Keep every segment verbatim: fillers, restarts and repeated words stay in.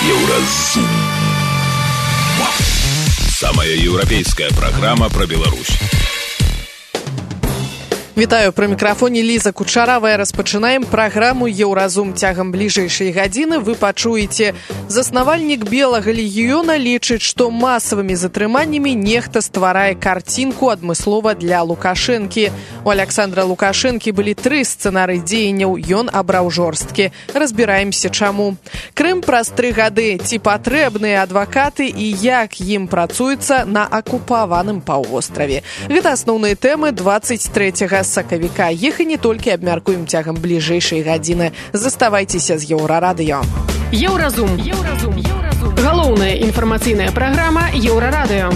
Еўразум. Самая еўрапейская программа про Беларусь. Вітаю, пры мікрафоне Ліза Кучаравая. Распачынаем праграму «Еўразум». Цягам бліжэйшай гадзіны вы пачуеце. Заснавальнік Белага легіёна лічыць, што масавымі затрыманнямі нехта стварае карцінку адмыслова для Лукашэнкі. У Аляксандра Лукашэнкі былі тры сцэнары дзеянняў, ён абраў жорсткі. Разбіраемся, чаму. Крым праз тры гады. Ці патрэбныя адвакаты і як ім працуецца на акупаваным паўвостраве. Гэта асноўныя тэмы дваццаць трэцяга сакавіка. Іх і не толькі абмяркуем цягам бліжэйшай гадзіны. Заставайцеся з Еўрарадыё. Еўразум. Еўразум. Еўразум. Галоўная інфармацыйная праграма Еўрарадыё.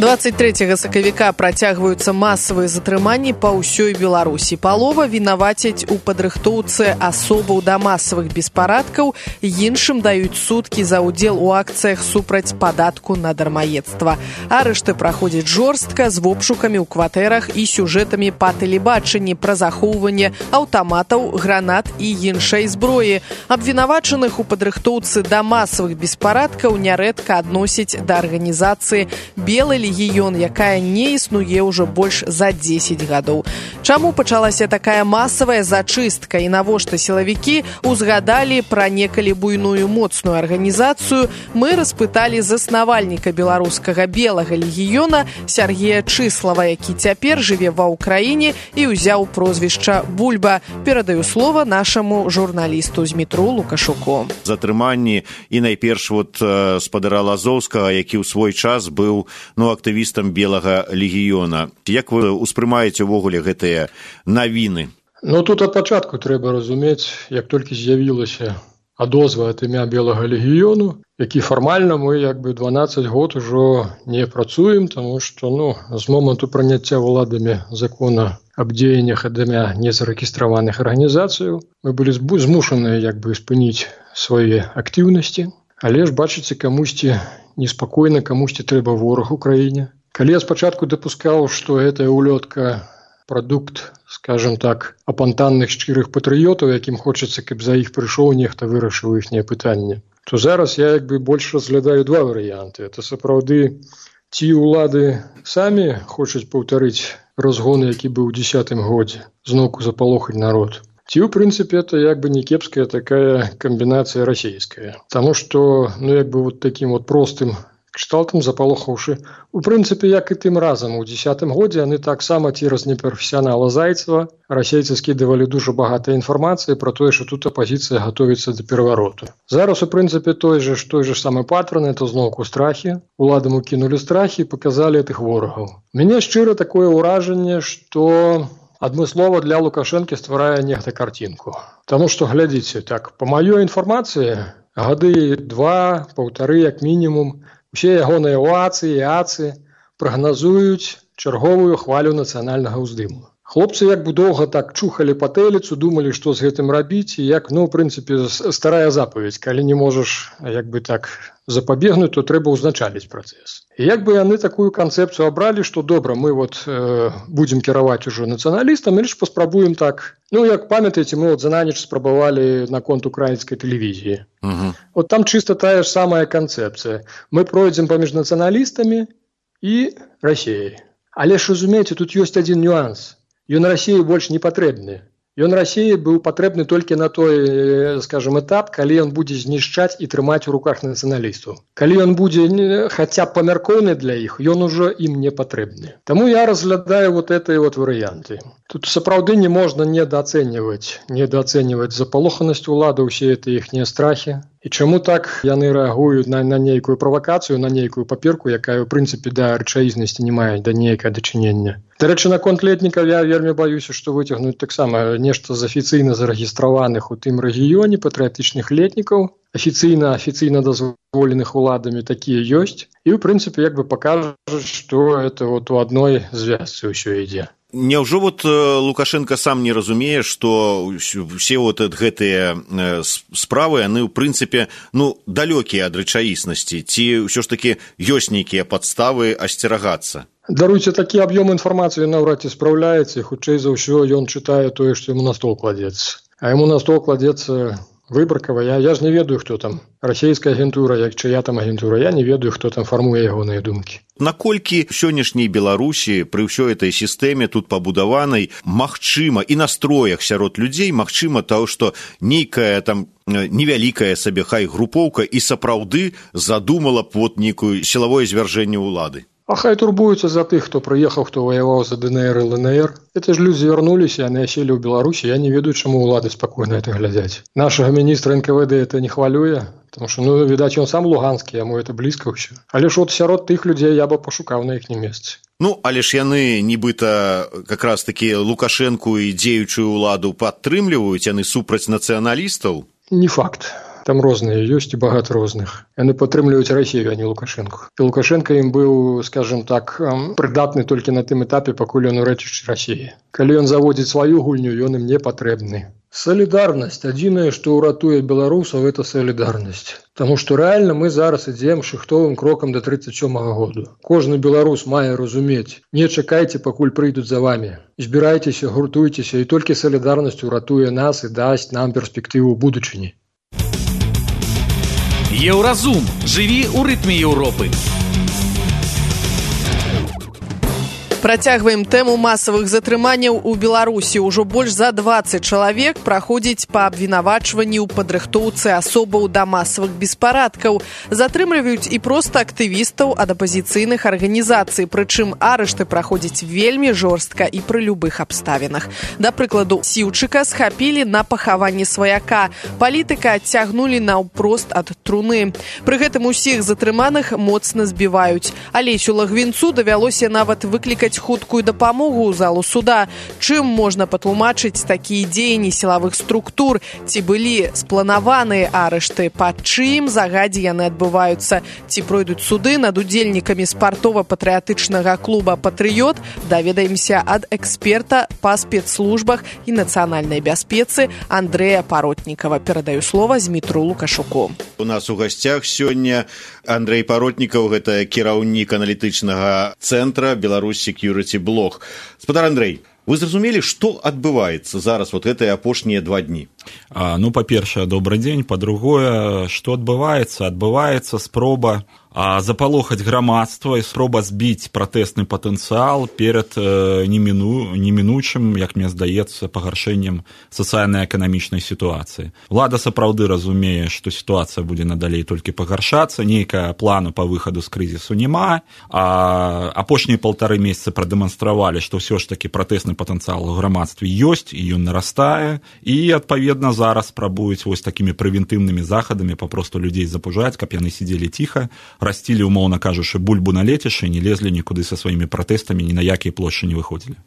дваццаць трэцяга сакавіка працягваюцца масавыя затрыманні па ўсёй Беларусі. Палова вінавацяць у падрыхтоўцы асобаў да масавых беспарадкаў, іншым даюць суткі за ўдзел у акцыях супраць падатку на дармаедства. Арышты праходзяць жорстка з вобшукамі ў кватэрах і сюжэтамі па тэлебачанні пра захоўванне аўтаматаў, гранат і іншай зброі. Абвінавачаных у падрыхтоўцы да масавых беспарадкаў нярэдка адносяць да арганізацыі «Белы легіён», якая не існуе ўжо больш за дзесяць гадоў. Чаму пачалася такая масавая зачыстка і навошта сілавікі узгадалі пра некалі буйную моцную арганізацыю, мы распыталі заснавальніка беларускага Белага легіёна Сергея Чыслава, які цяпер жыве ва ўкраіне і ўзяў прозвішча Бульба. Перадаю слова нашаму журналісту з метро Лукашуку. Затрыманні і найперш вот спадара Лазоўскага, які ў свой час быў ну актывістам Белага легіёна. Як вы ўспрымаеце ўвогуле гэтыя навіны? Ну, тут ад пачатку трэба разумець, як толькі з'явілася адозва ад імя Белага легіёну, які фармальна мы як бы дванаццаць год ужо не працуем, таму што ну, з моманту прыняцця ўладамі закона аб дзеяннях ад імя незарэгістраваных арганізацыяў мы былі змушаныя як бы спыніць свае актыўнасці, але ж бачыце, камусьці неспакойна, камусьці трэба вораг у краіне. Калі я спачатку дапускаў, што гэтая улётка прадукт, скажем так, апантанных шчырых патрыётаў, якім хочацца, каб за іх прыйшоў нехта вырашыў іхнія пытанні, то зараз я як бы больш разглядаю два варыянты. Это сапраўды ці ўлады самі хочуць паўтарыць разгон, які быў у дзесятым годзе, зноўку запалохаць народ. Ці, ў прынцыпе, это як бы не кепская такая камбінацыя расійская. Таму што, ну, як бы вот такім вот простым кшталтам запалохаўшы, у прынцыпе, як і тым разам у дзесятым годзе, яны таксама цераз непрафесіянала Зайцева расейцы скідывалі дужа багатай інфармацыі пра тое, што тут апазіцыя гатовіцца да перавароту. Зараз, у прынцыпе, той же, той же самы патрон, это зноўку страхі. Уладам укінулі страхі і паказалі тых ворагаў. Мяне шчыра такое ўражанне, што адмыслова для Лукашэнкі стварае нехта карцінку. Таму што, глядзіце, так, па маёй інфармацыі, гады два, паўтары, як мінімум, усе ягоныя уацы і ацы прагназуюць чарговую хвалю нацыянальнага ўздыму. Хлопцы як бы доўга так чухалі патэліцу, думалі, што з гэтым рабіць, і як, ну, ў прынцыпе, старая запаведь. Калі не можаш, як бы так, запабегнуць, то трэба ўзначаліць працэс. І як бы яны такую канцэпцыю абралі, што добра, мы вот э, будзем кіраваць ужо нацыяналістам, і лишь паспрабуем так. Ну, як памятаеце, мы вот за на ніч спрабавалі наконт украінскай тэлевізіі. Uh-huh. Вот там чыста тая ж самая канцэпцыя. Мы пройдзем паміж нацыяналістамі і Расіяй. Але ж, разумееце, тут ёсць адзін нюанс. Ён Расіі больш не патрэбны. Ён Расіі быў патрэбны толькі на той, скажем, этап, калі ён будзе знішчаць і трымаць у руках нацыяналістаў. Калі ён будзе хаця б памяркоўны для іх, ён ужо ім не патрэбны. Таму я разглядаю вот этой вот варыянты. Тут сапраўды не можна недаацэньваць, недаацэньваць запалоханасць улады, усе это іхнія страхі. І чаму так яны рэагуюць на, на нейкую правакацыю, на нейкую паперку, якая, ў прынцыпе, да рэчаізнасці не мае, да нейкае дачынення. Дарэчы, наконт летнікаў я вельмі баюся, што выцягнуць таксама нешта з афіцыйна зарэгістраваных у тым рэгіёне патрыятычных летнікаў, афіцыйна, афіцыйна дазволеных уладамі такія ёсць, і, ў прынцыпе, як бы пакажуць, што это вот у адной звязцы ўсё ідзе. Няўжо вот Лукашенко сам не разумее, што ўсе вот гэтыя справы, яны, ў прынцыпе, ну, далёкія ад рэчаіснасці, ці ўсё ж такі ёсць нейкія падставы асцерагацца? Даруйце, такі аб'ём інфармацыі наўрад ці спраўляецца, хутчэй за ўсё ён чытае тое, што яму на стол кладзецца. А яму на стол кладзецца выбаркава. Я, я ж не ведаю, хто там. Расійская агентура, як чыя там агентура. Я не ведаю, хто там фармуе ягоныя думкі. Наколькі сённяшняй Беларусі пры ўсёй этой сістэме тут пабудаванай магчыма і настроях сярод людзей магчыма того, што нейкая там невялікая сабе хай групоўка і сапраўды задумала б вот нейкую сілавое звяржэнне ўлады. А хай турбуюцца за тых, хто прыехаў, хто ваяваў за ДНР і ЛНР. Это ж людзі вярнуліся, яны аселі ў Беларусі. Я не ведаю, чаму ўлады спакойна это глядзяць. Нашага міністра эн ка вэ дэ это не хвалюе, потому что, ну, відаць, ён сам луганскі, яму это блізка ўсё. Але ж от сярод тых людзей я бы пашукаў на іхнім месцы. Ну, але ж яны нібыта как раз такі Лукашэнку і дзеючую ўладу падтрымліваюць, яны супраць нацыяналістаў? Не факт. Там розныя ёсць і багата розных. Яны падтрымліваюць Расію, а не Лукашэнку. І Лукашэнка ім быў, скажем так, прыдатны толькі на тым этапе, пакуль ён у рэчышчы Расіі. Калі ён заводзіць сваю гульню, ён ім не патрэбны. Салідарнасць. Адзінае, што ўратуе беларусаў, это салідарнасць. Таму што рэальна мы зараз ідзем шыхтовым крокам да трыццаць сёмага году. Кожны беларус мае разумець: не чакайце, пакуль прыйдуць за вамі. Збірайцеся, гуртуйцеся, і толькі салідарнасць уратуе нас і дасць нам перспектыву будучыні. Еўразум. Жыві ў рытме Еўропы. Працягваем тэму масавых затрыманняў у Беларусі. Ужо больш за дваццаць чалавек праходзіць па абвінавачванні ў падрыхтоўцы асобаў да масавых беспарадкаў. Затрымліваюць і проста актывістаў ад апазіцыйных арганізацый, прычым арышты праходзяць вельмі жорстка і пры любых абставінах. Да прыкладу, Сіўчыка схапілі на пахаванні сваяка. Палітыка адцягнулі наўпрост ад труны. Пры гэтым усіх затрыманых моцна збіваюць. Алесю Лагвінцу давялося нават выклікаць хуткую дапамогу ў залу суда. Чым можна патлумачыць такія дзеянні сілавых структур? Ці былі спланаваныя арышты? Па чым загадзе яны адбываюцца? Ці пройдуць суды над удзельнікамі спартова-патрыятычнага клуба «Патрыёт»? Даведаемся ад эксперта па спецслужбах і нацыянальнай бяспецы Андрэя Паротнікава. Перадаю слова Змітру Лукашуку. У нас у гасцях сёння Андрэй Паротнікаў, гэта кіраўнік аналітычнага цэнтра Беларусь Security Блог. Спадар Андрэй, вы зразумелі, што адбываецца зараз вот гэтыя апошнія два дні? А, ну, па-першае, добрый дзень. Па-другое, што адбываецца? Адбываецца спроба а, запалохаць грамадства і спроба збіць пратэсны патэнцыял перад э, неміну, немінучым, як мне здаецца, пагаршэннем сацыяльна-эканамічнай сітуацыі. Улада сапраўды разумее, што сітуацыя будзе надалей толькі пагаршацца, нейкая плану па выхаду з крызісу няма, а апошнія паўтары месяцы прадэманстравалі, што ўсё ж такі пратэсны патэнцыял у грамадстве ёсць, і ён нарастае, і, адпаведна, зараз спрабуюць вось такімі прэвентыўнымі захадамі папросту людзей запужаць, каб яны сидзелі ціха, расцілі, умоўна кажучы, бульбу на лецішчы, не лезлі нікуды са сваімі пратэстамі, ні на якія плошчы не выходзілі.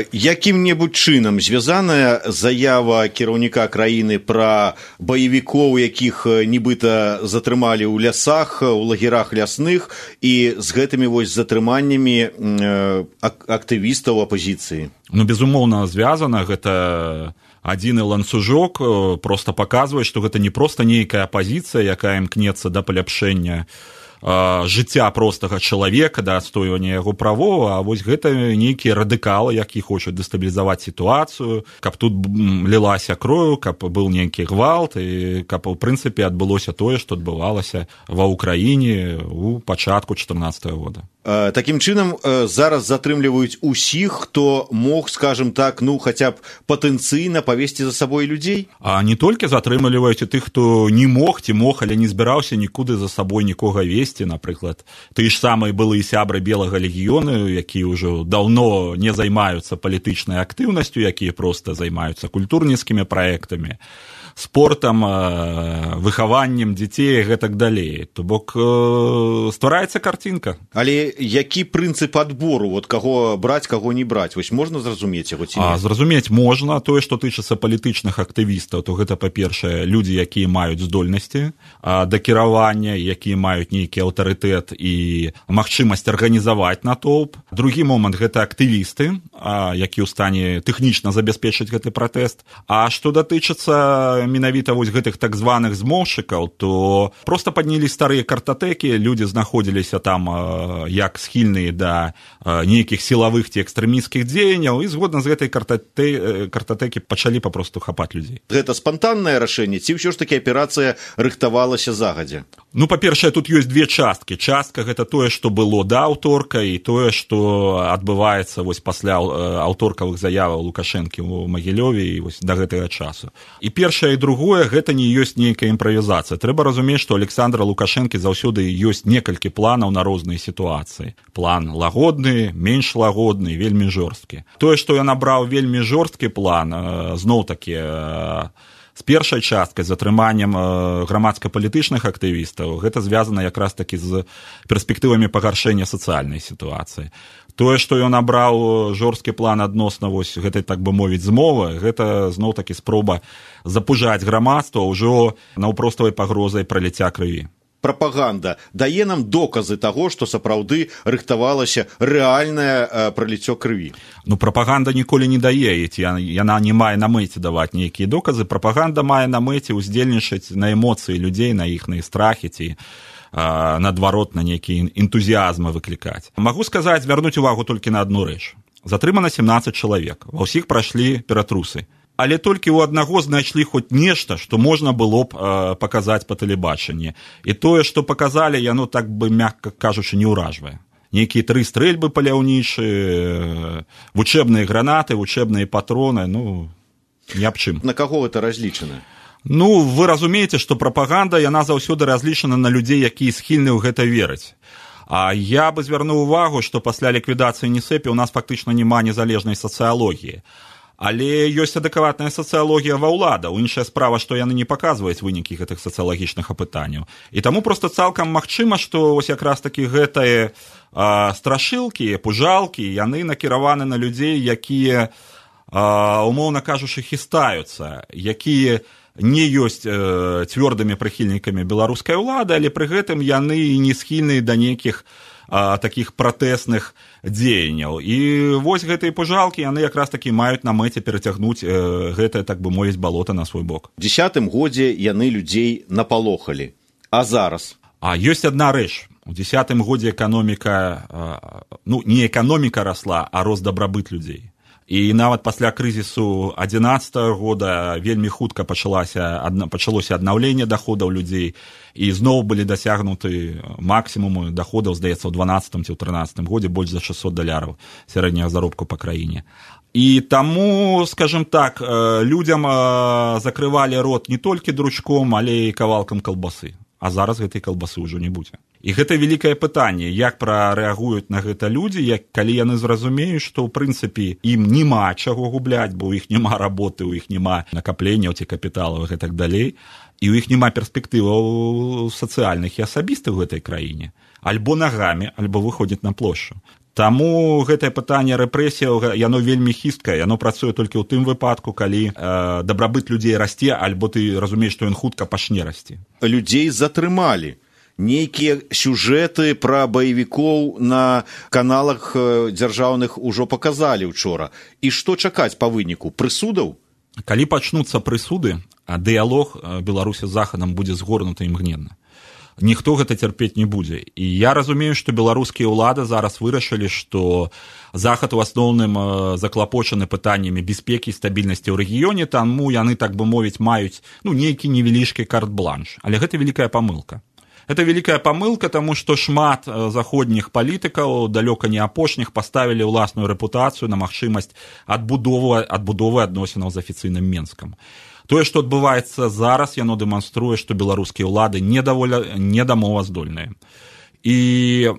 Якім-небудзь чынам звязаная заява кіраўніка краіны пра баевікоў, якіх нібыта затрымалі ў лясах, у лагерах лясных, і з гэтымі вось затрыманнямі актывістаў апазіцыі? Ну, безумоўна, звязана. Гэта адзіны ланцужок, проста паказвае, што гэта не проста нейкая апазіцыя, якая імкнецца да паляпшэння жыцця простага чалавека, да адстойвання яго правоў, а вось гэта нейкія радыкалы, які хочуць дэстабілізаваць сітуацыю, каб тут лілася кроў, каб быў нейкі гвалт, і каб, у прынцыпе, адбылося тое, што адбывалася ва ўкраіне ў пачатку чатырнаццатага года. Такім чынам, зараз затрымліваюць усіх, хто мог, скажем так, ну, хаця б патэнцыйна павесці за сабой людзей? А не толькі затрымліваюць і тых, хто не мог ці мог, але не збіраўся нікуды за сабой нікога весці, напрыклад. Ты ж самыя былыя сябры Белага легіёну, якія ўжо даўно не займаюцца палітычнай актыўнасцю, якія проста займаюцца культурніцкімі праектамі, спортам, выхаваннем дзяцей і гэтак далей. То бок ствараецца карцінка. Але які прынцып адбору, вот каго браць, каго не браць? Вось можна зразумець яго ці не? А, зразумець можна. Тое, што тычыцца палітычных актывістаў, то гэта, па-першае, людзі, якія маюць здольнасці да кіравання, якія маюць нейкі аўтарытэт і магчымасць арганізаваць натоўп. Другі момант — гэта актывісты, які ў стане тэхнічна забяспечыць гэты пратэст. А што датычыцца менавіта вось гэтых так званых змоўшчыкаў, то проста паднялі старыя картатэкі, людзі знаходзіліся там як схільныя да нейкіх сілавых ці экстрэмісцкіх дзеянняў, і згодна з гэтай картатэ... картатэкі пачалі папросту хапаць людзей. Гэта спантаннае рашэнне, ці ўсё ж такі аперацыя рыхтавалася загадзя? Ну, па-першае, тут ёсць две часткі. Частка – гэта тое, што было да аўторка, і тое, што адбываецца вось пасля аўторкавых заяваў Лукашэнкі ў Магілёве і вось да гэтага часу. І першае і другое – гэта не ёсць нейкая імправізацыя. Трэба разумець, што Александра Лукашэнкі заўсёды ёсць некалькі планаў на розныя сітуацыі. План лагодны, менш лагодны, вельмі жорсткі. Тое, што ён абраў вельмі жорсткі план, зноў-такі, з першай часткай, з атрыманнем грамадска-палітычных актывістаў, гэта звязана якраз такі з перспектывамі пагаршэння сацыяльнай сітуацыі. Тое, што ён абраў жорсткі план адносна вось гэтай, так бы мовіць, змовы, гэта зноў-такі спроба запужаць грамадства ўжо наўпроставай пагрозай праліцця крыві. Прапаганда дае нам доказы таго, што сапраўды рыхтавалася рэальнае праліццё крыві. Ну, прапаганда ніколі не дае, яна не мае на мэце даваць нейкія доказы. Прапаганда мае на мэце ўздзельнічаць на эмоцыі людзей, на іхныя страхі ці наадварот на нейкія энтузіазмы выклікаць. Магу сказаць, звярнуць увагу толькі на адну рэч. Затрымана сямнаццаць чалавек, ва ўсіх прайшлі ператрусы. Але толькі ў аднаго знайшлі хоць нешта, што можна было б э, паказаць па тэлебачанні. І тое, што паказалі, яно, так бы, мякка кажучы, не ўражвае. Нейкія тры стрэльбы паляўнічыя, вучэбныя гранаты, вучэбныя патроны, ну, ні аб чым. На каго гэта разлічана? Ну, вы разумееце, што прапаганда, яна заўсёды разлічана на людзей, якія схільны ў гэта верыць. А я бы звярнуў увагу, што пасля ліквідацыі НІСЭПе ў нас фактычна няма незалежнай сацыялогіі. Але ёсць адэкватная сацыялогія ва ўладаў. Іншая справа, што яны не паказваюць вынікі гэтых сацыялагічных апытанняў. І таму проста цалкам магчыма, што вось якраз такі гэтыя а, страшылкі, пужалкі, яны накіраваны на людзей, якія, а, умоўна кажучы, хістаюцца, якія не ёсць э, цвёрдымі прыхільнікамі беларускай улады, але пры гэтым яны не схільныя да нейкіх а, такіх пратэсных дзеянняў. І вось гэтыя пужалкі, яны якраз такі маюць на мэце перацягнуць э, гэтае, так бы мовіць, балота на свой бок. У дзесятым годзе яны людзей напалохалі. А зараз? А ёсць адна рэч. У дзесятым годзе эканоміка, э, ну, не эканоміка расла, а рост дабрабыт людзей. І нават пасля крызісу адзінаццатага года вельмі хутка пачалася, пачалося аднаўленне даходаў людзей, і зноў былі дасягнуты максімумы даходаў, здаецца, ў дванаццатым ці ў трынаццатым годзе больш за шэсцьсот даляраў сярэдняга заробку па краіне. І таму, скажем так, людзям закрывалі рот не толькі дручком, але і кавалкам калбасы. А зараз гэтай калбасы ўжо не будзе. І гэта вялікае пытанне, як прарэагуюць на гэта людзі, як, калі яны зразумеюць, што, ў прынцыпе, ім няма чаго губляць, бо ў іх няма работы, ў іх няма накапленняў ці капіталаў і так далей, і ў іх няма перспектываў сацыяльных і асабістых у гэтай краіне. Альбо нагамі, альбо выходзіць на плошчу. Таму гэтае пытанне рэпрэсіяў, яно вельмі хісткае, яно працуе толькі ў тым выпадку, калі э, дабрабыт людзей расце, альбо ты разумееш, што ён хутка пачне расці. Людзей затрымалі. Нейкія сюжэты пра баевікоў на каналах дзяржаўных ужо паказалі учора. І што чакаць па выніку? Прысудаў? Калі пачнуцца прысуды, дыялог Беларусі з Захадам будзе згорнуты імгненна. Ніхто гэта цярпець не будзе. І я разумею, што беларускія ўлады зараз вырашылі, што Захад у асноўным заклапочаны пытаннямі бяспекі і стабільнасці ў рэгіёне, таму яны, так бы мовіць, маюць ну, нейкі невялічкі карт-бланш. Але гэта вялікая памылка. Гэта вялікая памылка, таму што шмат заходніх палітыкаў, далёка не апошніх, паставілі ўласную рэпутацыю на магчымасць адбудовы, адбудовы адносінаў з афіцыйным Менскам. Тое, што адбываецца зараз, яно дэманструе, што беларускія ўлады недамоваздольныя. І,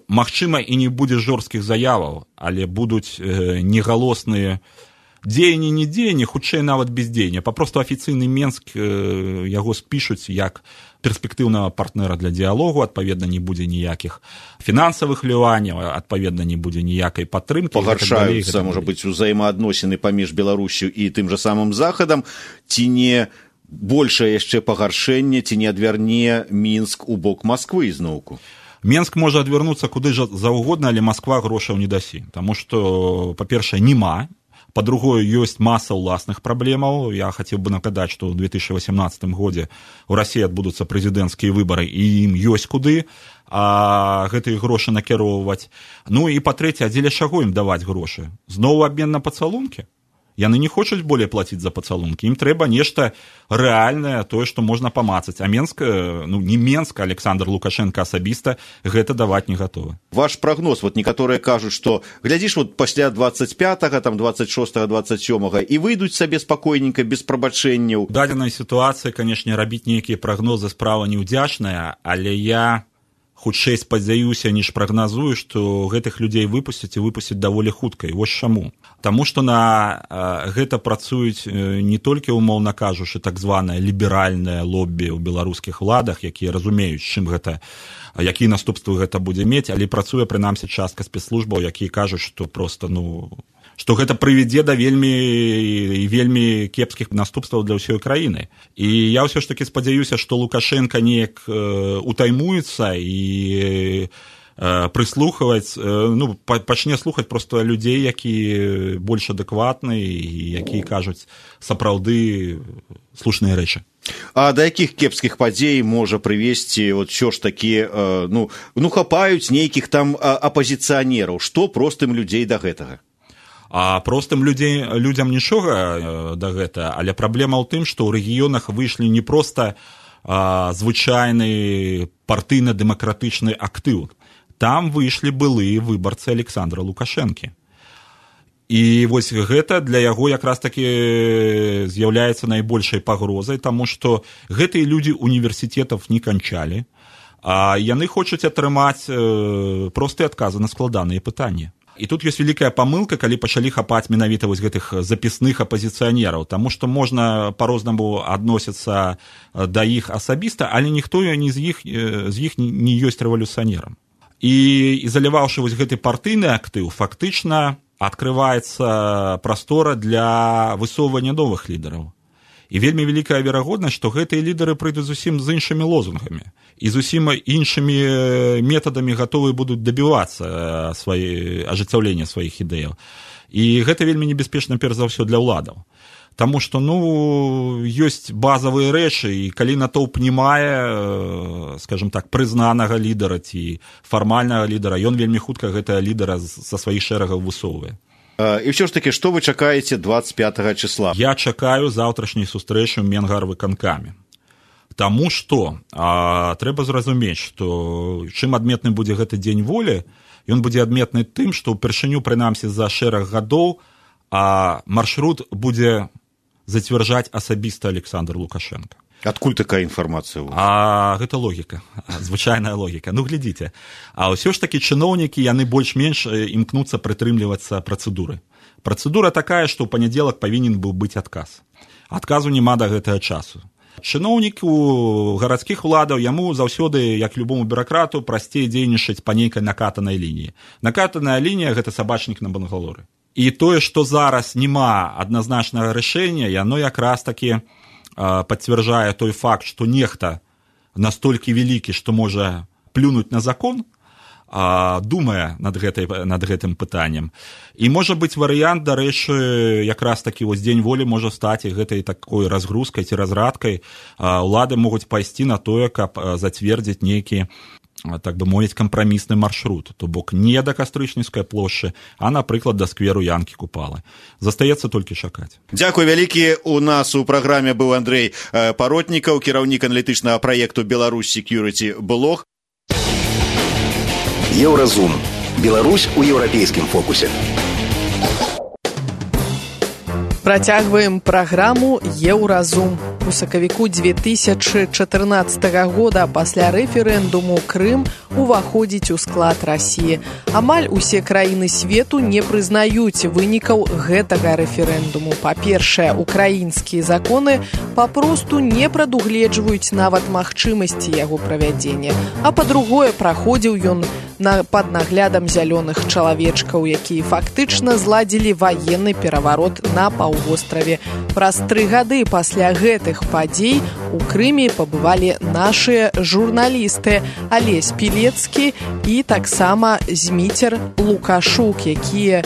магчыма, і не будзе жорсткіх заяваў, але будуць э, негалосныя дзеянні, не дзеянні, хутчэй нават бездзеяння. Папросту афіцыйны Менск э, яго спішуць як перспектыўнага партнера для дыялогу, адпаведна, не будзе ніякіх фінансавых ліванняў, адпаведна, не будзе ніякай падтрымкі. Пагаршаюцца, можа быць, узаемаадносіны паміж Беларусю і тым жа самым Захадам, ці не большае яшчэ пагаршэнне, ці не адвярне Мінск у бок Масквы ізноўку? Менск можа адвярнуцца куды ж заўгодна, але Масква грошаў не дасі. Таму што, па-першае, няма. Па-другое, ёсць маса ўласных праблемаў. Я хацеў бы нагадаць, што ў две тысячы васемнаццатым годзе ў Расіі адбудуцца прэзідэнцкія выбары, і ім ёсць куды а гэтыя грошы накіроўваць. Ну і па-трэцяе, а дзеля чаго ім даваць грошы? Зноў абмен на пацалункі? Яны не хочуць болей плаціць за пацалункі. Ім трэба нешта рэальнае, тое, што можна памацаць. А Менск, ну не Менск, а Александр Лукашенко асабіста гэта даваць не гатовы. Ваш прагноз, вот некаторыя кажуць, што глядзіш, вот пасля двадцать пятага, там двадцать шостага, двадцать сёмага і выйдуць сабе спакойненька, без прабачэнняў. У дадзенай сітуацыі, канешне, рабіць нейкія прагнозы справа неўдзячная, але я хутчэй спадзяюся, ніж прагназую, што гэтых людзей выпусцяць і выпусцяць даволі хутка. І вось чаму. Таму што на а, гэта працуюць не толькі, умоўна кажучы, так званае ліберальнае лоббі ў беларускіх уладах, якія разумеюць, чым гэта, якія наступствы гэта будзе мець, але працуе прынамсі частка спецслужбаў, якія кажуць, што проста, ну, што гэта прывядзе да вельмі і вельмі кепскіх наступстваў для ўсёй краіны. І я ўсё ж такі спадзяюся, што Лукашенко неяк э, утаймуецца і э, прыслухаваць, э, ну, пачне слухаць проста людзей, якія больш адэкватны і якія кажуць сапраўды слушныя рэчы. А да якіх кепскіх падзей можа прывесці вот ўсё ж такі, э, ну, ну, хапаюць нейкіх там апазіцыянераў? Што простым людзей да гэтага? А простым людзей, людзям нічога да гэта, але праблема ў тым, што ў рэгіёнах выйшлі не проста а, звычайны партыйна-дэмакратычны актыў. Там выйшлі былыя выбарцы Александра Лукашэнкі. І вось гэта для яго якраз такі з'яўляецца найбольшай пагрозай, таму што гэтыя людзі універсітэтаў не канчалі, а яны хочуць атрымаць э, простыя адказы на складаныя пытанні. І тут ёсць вялікая памылка, калі пачалі хапаць менавіта вось гэтых запісных апазіцыянераў, таму што можна па-рознаму адносіцца да іх асабіста, але ніхто не з іх, з іх не ёсць рэвалюцыянерам. І ізаляваўшы вось гэты партыйны актыў, фактычна адкрываецца прастора для высоўвання новых лідараў. І вельмі вялікая верагоднасць, што гэтыя лідары прыйдуць зусім з іншымі лозунгамі і зусім іншымі метадамі гатовы будуць дабівацца свае, ажыццяўлення сваіх ідэяў. І гэта вельмі небяспечна, перш за ўсё, для ўладаў. Таму што, ну, ёсць базавыя рэчы, і калі натоўп не мае, скажем так, прызнанага лідара ці фармальнага лідара, ён вельмі хутка гэтага лідара са сваіх шэрагаў высоўвае. І ўсё ж такі, што вы чакаеце двадцать пятага числа? Я чакаю заўтрашняй сустрэчы ў Менгарвыканкаме. Таму што а, трэба зразумець, што чым адметны будзе гэты дзень волі, ён будзе адметны тым, што ўпершыню, прынамсі, за шэраг гадоў а маршрут будзе зацвярджаць асабіста Александр Лукашенко. Адкуль такая інфармацыя? А гэта логіка, звычайная логіка. Ну, глядзіце, а ўсё ж такі чыноўнікі, яны больш-менш імкнуцца прытрымлівацца працэдуры. Працэдура такая, што ў панядзелак павінен быў быць адказ. Адказу няма да гэтага часу. Чыноўніку гарадскіх уладаў, яму заўсёды, як любому бюракрату, прасцей дзейнічаць па нейкай накатанай лініі. Накатаная лінія – гэта сабачнік на Бангалоры. І тое, што зараз няма адназначнага рашэння, яно якраз такі пацвярджае той факт, што нехта настолькі вялікі, што можа плюнуць на закон, думае над, гэтай, над гэтым пытаннем. І можа быць варыянт, дарэчы, якраз такі вось дзень волі можа стаць гэтай такой разгрузкай ці разрадкай. Улады могуць пайсці на тое, каб зацвердзіць нейкі, так бы мовіць, кампрамісны маршрут, то бок не да Кастрычніцкай плошчы, а, напрыклад, да скверу Янкі Купалы. Застаецца толькі чакаць. Дзякуй вялікі. У нас у праграме быў Андрэй Паротнікаў, кіраўнік аналітычнага праекту Беларусь Security Блог. Еўразум. Беларусь у еўрапейскім фокусе. Працягваем праграму «Еўразум». У сакавіку две тысячы чатырнаццатага года пасля рэферэндуму Крым уваходзіць у склад Расіі. Амаль усе краіны свету не прызнаюць вынікаў гэтага рэферэндуму. Па-першае, украінскія законы папросту не прадугледжваюць нават магчымасці яго правядзення. А па-другое, праходзіў ён на, пад наглядам зялёных чалавечкаў, якія фактычна зладзілі ваенны пераварот на паўвостраве. Праз тры гады пасля гэтых падзей у Крыме пабывалі нашыя журналісты Алесь Пілецкі і таксама Зміцер Лукашук, якія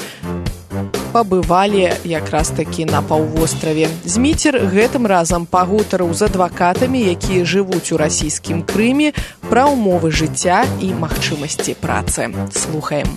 пабывалі якраз такі на паўвостраве. Зміцер гэтым разам пагутарыў з адвакатамі, якія жывуць у расійскім Крыме, пра ўмовы жыцця і магчымасці працы. Слухаем.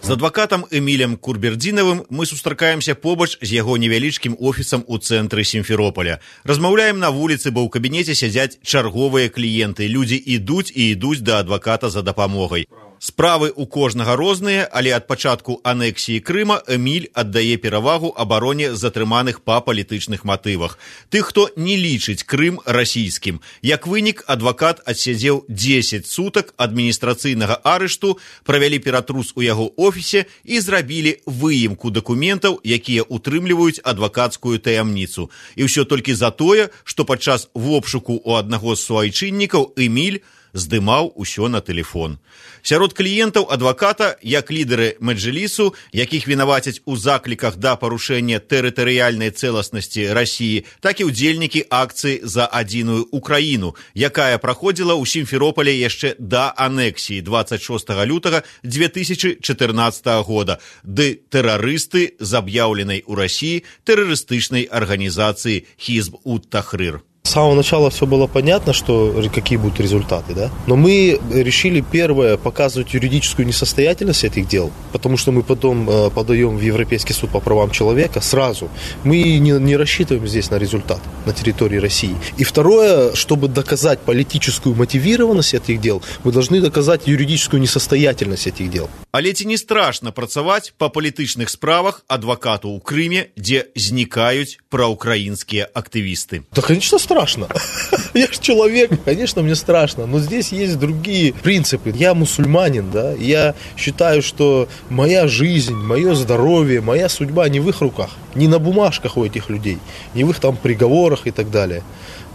З адвакатам Эмілем Курбердзінавым мы сустракаемся побач з яго невялічкім офісам у цэнтры Сімферополя. Размаўляем на вуліцы, бо ў кабінеце сядзяць чарговыя кліенты. Людзі ідуць і ідуць да адваката за дапамогай. Справы ў кожнага розныя, але ад пачатку анексіі Крыма Эміль аддае перавагу абароне затрыманых па палітычных матывах. Тых, хто не лічыць Крым расійскім. Як вынік, адвакат адсядзеў дзесяць сутак адміністрацыйнага арышту, правялі ператрус у яго офісе і зрабілі выемку дакументаў, якія утрымліваюць адвакацкую таямніцу. І ўсё толькі за тое, што падчас вобшуку у аднаго з суайчыннікаў Эміль здымаў усё на тэлефон. Сярод кліентаў адваката, як лідары Меджлісу, якіх вінавацяць у закліках да парушэння тэрытарыяльнай цэласнасці Расіі, так і ўдзельнікі акцыі за адзіную Украіну, якая праходзіла ў Сімферополі яшчэ да анексіі дваццаць шостага лютага дзве тысячы чатырнаццатага года, ды тэрарысты з аб'яўленай у Расіі тэрарыстычнай арганізацыі Хизб-ут-Тахрир. С самого начала все было понятно, что какие будут результаты, да? Но мы решили, первое, показывать юридическую несостоятельность этих дел, потому что мы потом э, подаем в Европейский суд по правам человека сразу. Мы не, не рассчитываем здесь на результат на территории России. И второе, чтобы доказать политическую мотивированность этих дел, мы должны доказать юридическую несостоятельность этих дел. Але ці не страшна працаваць па палітычных справах адвакату ў Крыме, дзе знікаюць праўкраінскія актывісты? Да, конечно, страшно. Я же человек, конечно, мне страшно, но здесь есть другие принципы. Я мусульманин, да, я считаю, что моя жизнь, мое здоровье, моя судьба не в их руках, не на бумажках у этих людей, не в их там приговорах и так далее.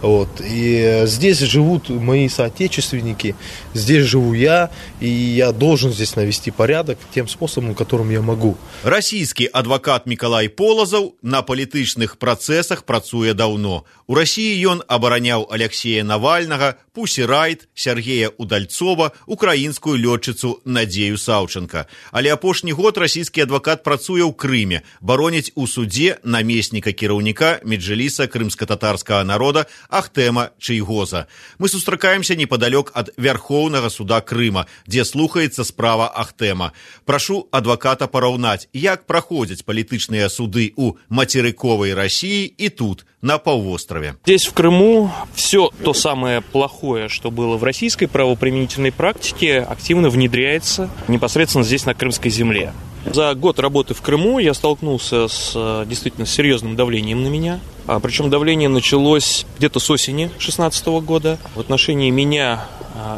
Вот. И здесь живут мои соотечественники, здесь живу я, и я должен здесь навести порядок тем способом, которым я могу. Расійскі адвакат Мікалай Полазаў на палітычных працэсах працуе даўно. У Расіі ён абараняў Алексея Навальнага, Пусі Райт, Сергея Удальцова, украінскую лётчыцу Надзею Саўчанка. Але апошні год расійскі адвакат працуе ў Крыме, бароніць у судзе намесніка кіраўніка Меджліса крымска-татарскага народа Ахтема Чайгоза. Мы сустракаемся непадалёк ад Вярхоўнага суда Крыма, дзе слухаецца справа Ахтема. Прашу адваката параўнаць, як праходзяць палітычныя суды ў мацерыковай Расіі і тут, на паўвостраве. Здесь, в Крыму, все то самое плохое, что было в российской правоприменительной практике, активно внедряется непосредственно здесь, на крымской земле. За год работы в Крыму я столкнулся с действительно серьезным давлением на меня. Причем давление началось где-то с осени две тысячи шестнадцатого года. В отношении меня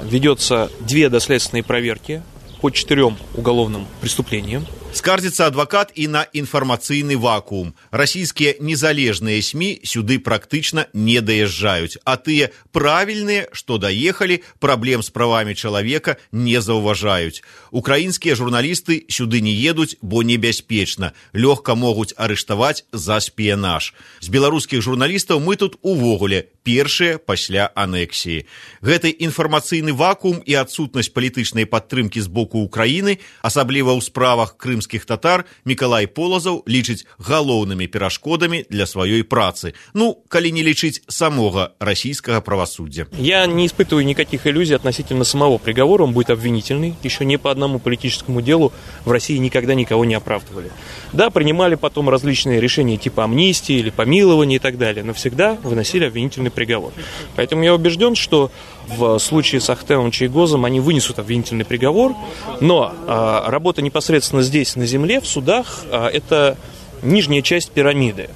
ведется две доследственные проверки по четырем уголовным преступлениям. Скардзіцца адвакат і на інфармацыйны вакуум. Расійскія незалежныя СМІ сюды практычна не даязджаюць, а тыя правільныя, што даехалі, праблем з правамі чалавека не заўважаюць. Украінскія журналісты сюды не едуць, бо небяспечна. Лёгка могуць арыштаваць за спіянаж. З беларускіх журналістаў мы тут увогуле першыя пасля анексіі. Гэты інфармацыйны вакуум і адсутнасць палітычнай падтрымкі з боку Украіны, асабліва ў справах Крым татар, Мікалай Полазаў лічыць галоўнымі перашкодамі для сваёй працы. Ну, калі не лічыць самога расійскага правосуддзя. Я не испытываю никаких иллюзий относительно самого приговора. Он будет обвинительный. Еще ни по одному политическому делу в России никогда никого не оправдывали. Да, принимали потом различные решения типа амнистии или помилования и так далее, но всегда выносили обвинительный приговор. Поэтому я убежден, что в случае с Ахтемом Чайгозом они вынесут обвинительный приговор, но а, работа непосредственно здесь, на земле, в судах, а, это нижняя часть пирамиды.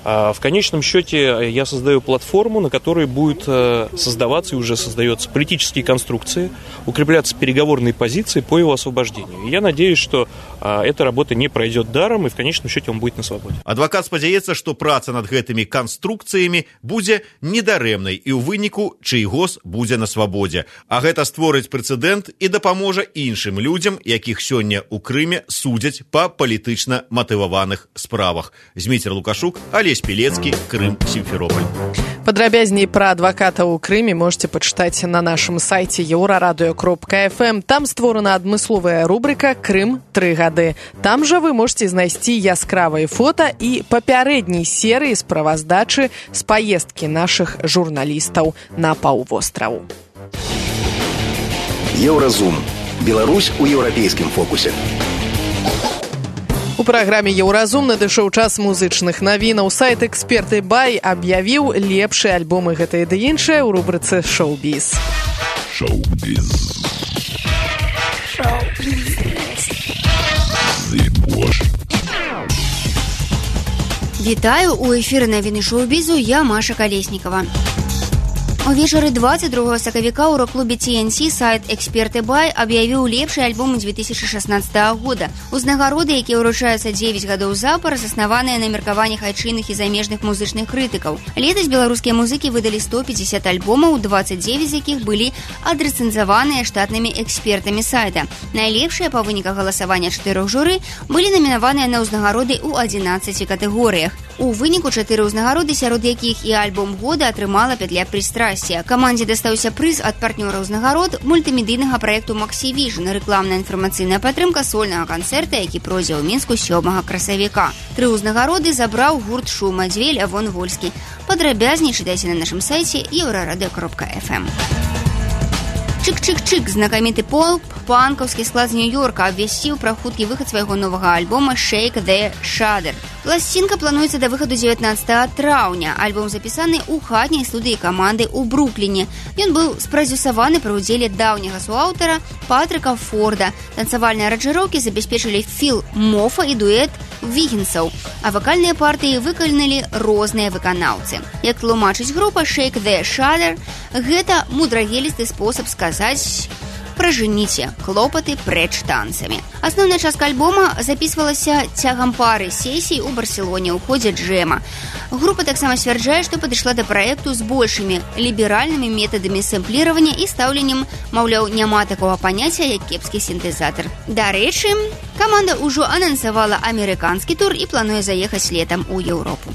В конечном счете я создаю платформу, на которой будет создаваться и уже создается политические конструкции, укрепляться переговорные позиции по его освобождению. И я надеюсь, что эта работа не пройдет даром, и в конечном счете он будет на свободе. Адвокат спадзяецца, што праца над гэтымі канструкцыямі будзе недарэмнай, і ў выніку Чайгоз будзе на свабодзе. А гэта створыць прэцэдэнт і дапаможа іншым людзям, якіх сёння ў Крыме судзяць па палітычна матываваных справах. Зміцер Лукашук, Олесь Пелецкі, Крым, Сімферополь. Падрабязней пра адваката ў Крыме можете пачытаць на нашым сайце еўрарадыё кропка эф эм. Там створана адмысловая рубрыка «Крым. Тры гады». гады. Там жа вы можете знайсці яскравыя фота і папярэдняй серыі справаздачы з паездкі нашых журналістаў на паўвостраў. Еўразум. Беларусь у еўрапейскім фокусе. У праграме «Еўразум» надышоў час музычных навінаў. Сайт «Эксперты Бай» аб'явіў лепшыя альбомы гэтае ды іншае ў рубрыцы «Шоу-біз». Шоу-біз. Вітаю, у эфіры навіны шоу-бізу, я Маша Калеснікава. Увечары двадцать другого сакавіка ў рок-клубе Ти Эн Си сайт «Эксперты Бай» аб'явіў лепшыя альбомы две тысячи шестнадцатого года. Узнагароды, якія ўручаюцца дзевяць гадоў запар, заснаваныя на меркаваннях айчынных і замежных музычных крытыкаў. Летась беларускія музыкі выдалі сто пятьдесят альбомаў, двадцать девять з якіх былі адрэцэнзаваныя штатнымі экспертамі сайта. Найлепшыя па выніках галасавання чатырох журы былі намінаваныя на ўзнагароды ў адзінаццаці катэгорыях. У выніку чатыры ўзнагароды, сярод якіх і альбом года атрымала пятля прыстрасця. Камандзе дастаўся прыз ад партнёра ўзнагарод мультымедыйнага праекту «Максі Віжн», рэкламная інфармацыйная падтрымка сольнага канцэрта, які пройдзе ў Мінску сёмага красавіка. Тры ўзнагароды забраў гурт «Шума», дзве Лявон Вольскі. Падрабязней чытайце на нашым сайце еўрарадыё кропка эф эм. Чик-чик-чик, знакаміты поп, панкаўскі склад з Нью-Йорка абвясціў пра хуткі выхад свайго новага альбома «Shake the Shudder». Пласцінка плануецца да выхаду дзевятнаццатага траўня. Альбом запісаны ў хатняй студыі каманды ў Брукліне. Ён быў спрадзюсаваны пры ўдзеле даўняга суаўтара Патрыка Форда. Танцавальныя аранжыроўкі забяспечылі Філ Мофа і дуэт Вігінсаў, а вакальныя партыі выканалі розныя выканаўцы. Як тлумачыць група, «Shake the Shudder» – гэта мудрагелісты спосаб сказаць «пражаніце клопаты прэч танцамі». Асноўная частка альбома запісвалася цягам пары сесій у Барселоне ў ходзе джэма. Група таксама сцвярджае, што падышла да праекту з большымі ліберальнымі метадамі сэмпліравання і стаўленнем, маўляў, няма такога паняцця, як кепскі сінтэзатар. Дарэчы, каманда ўжо анансавала амерыканскі тур і плануе заехаць летам у Еўропу.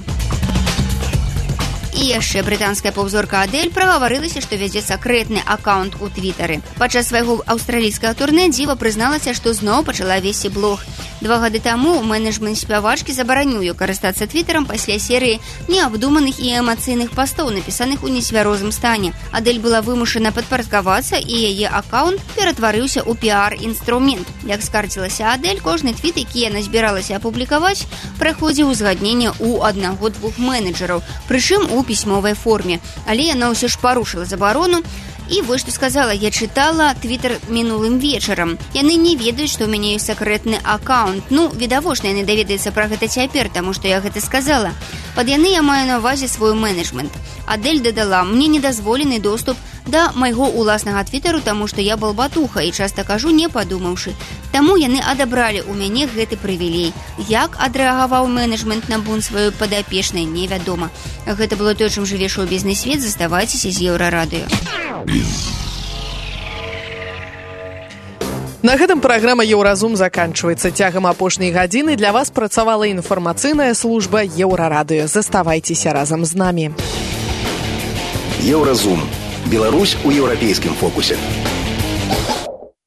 І яшчэ брытанская поп-зорка Адель прагаварылася, што вядзе сакрэтны акаунт у твітары. Падчас свайго аўстралійскага турнэ дзіва прызналася, што зноў пачала весці блог. Два гады таму менеджмент спявачкі забараніў ёй карыстацца твітарам пасля серыі неабдуманых і эмацыйных пастоў, напісаных у нецвярозым стане. Адель была вымушана падпарадкавацца, і яе акаунт ператварыўся ў піар-інструмент. Як скардзілася Адель, кожны твіт, які яна збіралася апублікаваць, праходзіў узгадненне ў аднаго-двух менеджераў, прычым у пісьмовай форме. Але яна ўсё ж парушыла забарону. І вось што сказала: я чытала твітер мінулым вечарам. Яны не ведаюць, што ў мяне ёсць сакрэтны акаунт. Ну, відавочна, яны даведаюцца пра гэта цяпер, таму што я гэта сказала. Пад яны я маю на ўвазе свой менеджмент. Адель дадала: мне недазволены доступ да майго ўласнага твітару, таму што я балбатуха і часта кажу, не падумаўшы. Таму яны адабралі ў мяне гэты прывілей. Як адрэагаваў менеджмент на бунт сваёй падапечнай, невядома. Гэта было тое, чым жыве шоу-бізнес-свет. Заставайцеся з Еўрарадыё. На гэтым праграма «Еўразум» заканчваецца. Цягам апошняй гадзіны для вас працавала інфармацыйная служба Еўрарадыё. Заставайцеся разам з намі. Еўразум. Беларусь у еўрапейскім фокусе.